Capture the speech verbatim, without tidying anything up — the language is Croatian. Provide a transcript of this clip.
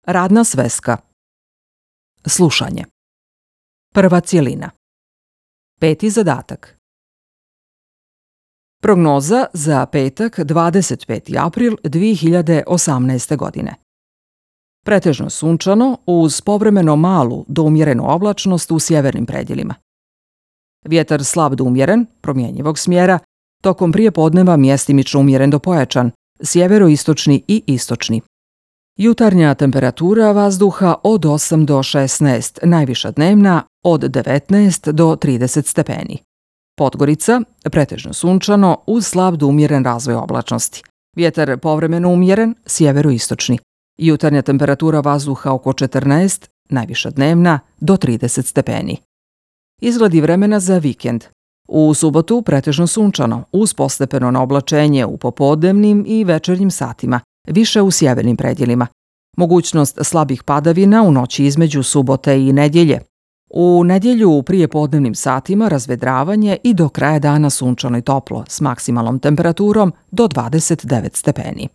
Radna sveska. Slušanje. Prva cjelina. Peti zadatak. Prognoza za petak dvadeset peti april dvije hiljade osamnaeste. godine. Pretežno sunčano uz povremeno malu do umjerenu oblačnost u sjevernim predjelima. Vjetar slab do umjeren, promjenjivog smjera, tokom prijepodneva mjestimično umjeren do pojačan, sjeveroistočni i istočni. Jutarnja temperatura vazduha od osam do šesnaest, najviša dnevna od devetnaest do trideset stepeni. Podgorica, pretežno sunčano uz slab do umjeren razvoj oblačnosti. Vjetar povremeno umjeren, sjeveroistočni. Jutarnja temperatura vazduha oko četrnaest, najviša dnevna do trideset stepeni. Izgledi vremena za vikend. U subotu pretežno sunčano uz postepeno oblačenje u popodnevnim i večernjim satima, više u sjevernim predjelima. Mogućnost slabih padavina u noći između subote i nedjelje. U nedjelju u prijepodnevnim satima razvedravanje i do kraja dana sunčano i toplo s maksimalnom temperaturom do dvadeset devet stepeni.